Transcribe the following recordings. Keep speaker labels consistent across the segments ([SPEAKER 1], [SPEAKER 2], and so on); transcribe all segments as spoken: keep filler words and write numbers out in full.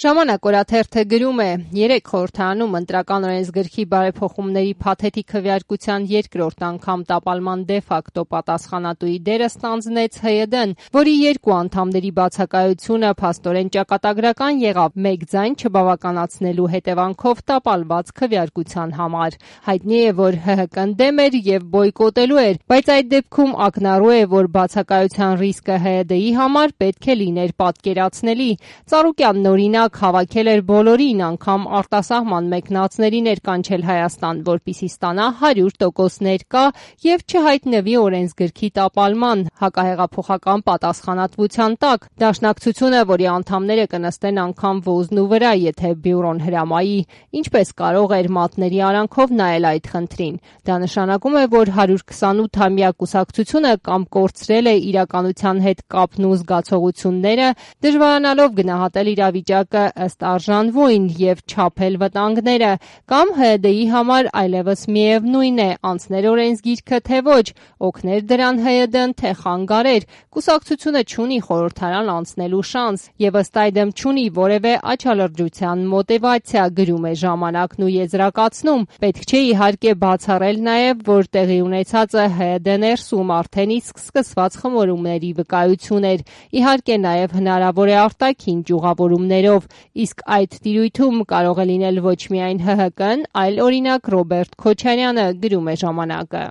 [SPEAKER 1] Ժամանակ օրաթերթը գրում է. երեք խորհրդարանում ընտրական օրենսգրքի բարեփոխումների փաթեթի քվեարկության երկրորդ անգամ տապալման դե ֆակտո պատասխանատուի դերը ստանձնեց Հ Յ D-ն, որի երկու անդամների բացակայությունը փաստորեն ճակատագրական եղավ մեկ ձայն չբավականացնելու հետևանքով տապալված քվեարկության համար։ Հայտնի է, որ Հ Հ K-ն դեմ էր եւ բոյկոտելու էր, բայց այդ դեպքում ակնառու է, որ բացակայության ռիսկը Հ Յ D-ի համար պետք է լիներ պատկերացնելի։ Ծառուկյանն օրինակ հավաքել էր բոլորին, անգամ արտասահման մեկնածներին էր կանչել Հայաստան, որպեսզի ստանա հարյուր տոկոս ներկա եւ չհայտնվի օրենսգրքի տապալման հակահեղափոխական պատասխանատվության տակ։ Դաշնակցությունը, որի անդամները կնստեն անգամ ոզնու վրա, եթե բյուրոն հրամայի, ինչպես կարող էր մատների արանքով նայել այդ խնդրին։ Դա նշանակում է, որ հարյուր քսանութամյա կուսակցությունը կամ կորցրել է իրականության հետ կապն ու զգացողությունները, դժվարանալով գնահատել իրավիճակը ըստ արժանվույն եւ չափել վտանգները, կամ Հ Յ D-ի համար այլևս միևնույն է անցներ օրենսգիրքը թե ոչ, օգներ դրան Հ Յ D-ն թե խանգարեր, կուսակցությունը չունի խորհրդարան անցնելու շանս եւ ըստ այդմ չունի որևէ աչալրջության մոտիվացիա, գրում է Ժամանակն ու եզրակացնում։ Պետք չէ իհարկե բացառել նաեւ, որ տեղի ունեցածը Հ Յ D ներսում արդեն իսկ սկսված խմորումների վկայություն էր, իհարկե նաեւ հնարավոր է արտաքին ճյուղավորումներով, իսկ այդ տիրույթում կարող է լինել ոչ միայն Հ Հ K-ն, այլ օրինակ Ռոբերտ Քոչարյանը, գրում է Ժամանակը։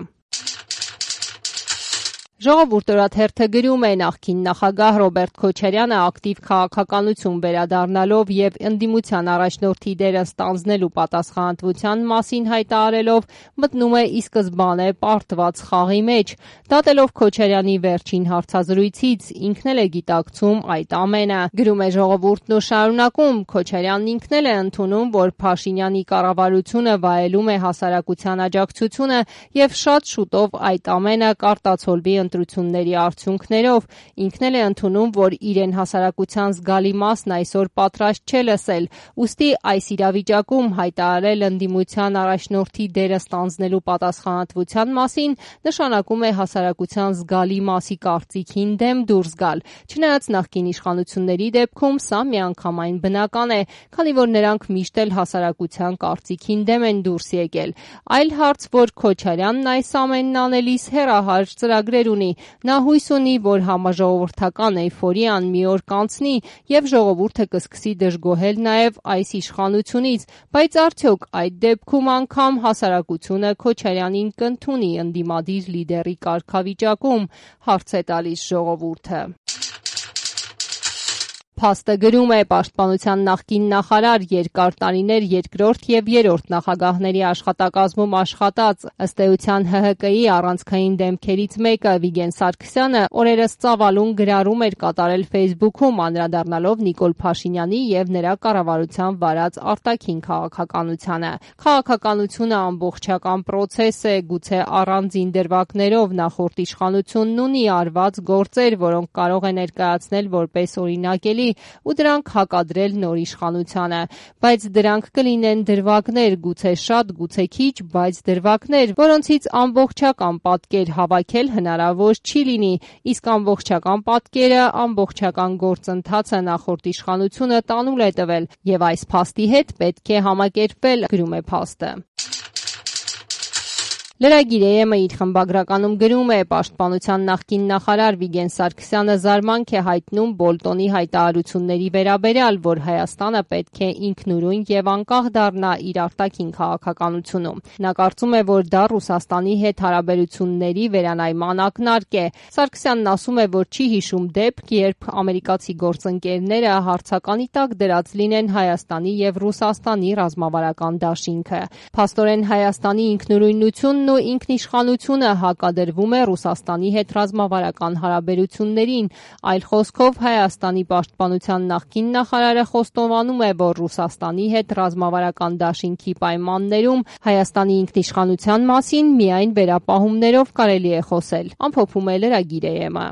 [SPEAKER 1] Ժողովուրդ օրաթերթը գրում է. նախկին նախագահ Ռոբերտ Քոչարյանը ակտիվ քաղաքականություն վերադառնալով եւ ընդդիմության առաջնորդի դերը ստանձնելու պատասխանատվության մասին հայտարարելով մտնում է ի սկզբանե պարտված խաղի մեջ։ Դատելով Քոչարյանի վերջին հարցազրույցից ինքն էլ է գիտակցում այդ ամենը, գրում է Ժողովուրդն ու շարունակում. Քոչարյանն ինքն էլ է ընդունում, որ Փաշինյանի կառավարությունը վայելում է հասարակության աջակցությունը եւ շատ շուտով այդ ամենը կարտացոլվի ընտրությունների արդյունքներով։ Ինքն էլ է ընդունում, որ իրեն հասարակության զգալի մասն այսօր պատրաստ չէ լսել, ուստի այս իրավիճակում հայտարարել ընդդիմության առաջնորդի դերը ստանձնելու պատասխանատվության մասին նշանակում է հասարակության զգալի մասի կարծիքին դեմ դուրս գալ։ Չնայած նախկին իշխանությունների դեպքում սա միանգամայն բնական է, քանի որ նրանք միշտ էլ հասարակության կարծիքին դեմ են դուրս եկել։ Այլ հարց, որ Քոչարյանն այս ամենն անելիս հեռահար ծրագրեր ունի։ Նա հույս ունի, որ համաժողովրդական էյֆորիան մի օր կանցնի եւ ժողովուրդը կսկսի դժգոհել նաեւ այս իշխանությունից, բայց արդյոք այդ դեպքում անգամ հասարակությունը Քոչարյանին կընդունի ընդդիմադիր լիդերի կարգավիճակում, հարց է տալիս Ժողովուրդը։ Փաստը գրում է. Պաշտպանության նախկին նախարար, երկար տարիներ երկրորդ եւ երրորդ նախագահների աշխատակազմում աշխատած, ըստ էության Հ Հ K-ի առանցքային դեմքերից մեկը Վիգեն Սարգսյանը օրերս ծավալուն գրառում էր կատարել Facebook-ում, անդրադառնալով Նիկոլ Փաշինյանի եւ նրա կառավարության վարած արտաքին քաղաքականությանը։ Քաղաքականությունը ամբողջական պրոցես է, գուցե առանձին դրվագներով նախորդ իշխանությունն ունի արված գործեր, որոնք կարող է ներկայացնել որպես օրինակելի ու դրանք հակադրել նոր իշխանությանը, բայց դրանք կլինեն դրվագներ, գուցե շատ, գուցե քիչ, բայց դրվագներ, որոնցից ամբողջական պատկեր հավաքել հնարավոր չի լինի, իսկ ամբողջական պատկերը, ամբողջական գործընթացը նախորդ իշխանությունը տանուլ է տվել եւ այս փաստի հետ պետք է համակերպվել, գրում է փաստը։ Լրագիր Է Էմ-ը իր խմբագրականում գրում է. Պաշտպանության նախկին նախարար Վիգեն Սարգսյանը զարմանք է հայտնում Բոլտոնի հայտարարությունների վերաբերյալ, որ Հայաստանը պետք է ինքնուրույն եւ անկախ դառնա իր արտաքին քաղաքականությունում։ Նա կարծում է, որ դա Ռուսաստանի հետ հարաբերությունների վերանայման ակնարկ է։ Սարգսյանն ասում է, որ չի հիշում դեպք, երբ ամերիկացի գործընկերները հարցականի տակ դրած լինեն Հայաստանի եւ Ռուսաստանի ռազմավարական դաշինքը։ Փաստորեն Հայաստանի ինքնուրույնությունն ու ինքնիշխանությունը հակադրվում է Ռուսաստանի հետ ռազմավարական հարաբերություններին, այլ խոսքով Հայաստանի պաշտպանության նախկին նախարարը խոստովանում է, որ Ռուսաստանի հետ ռազմավարական դաշինքի պայմաններում Հայաստանի ինքնիշխանության մասին միայն վերապահումներով կարելի է խոսել, ամփոփում է լրագիր Է Էմ-ը։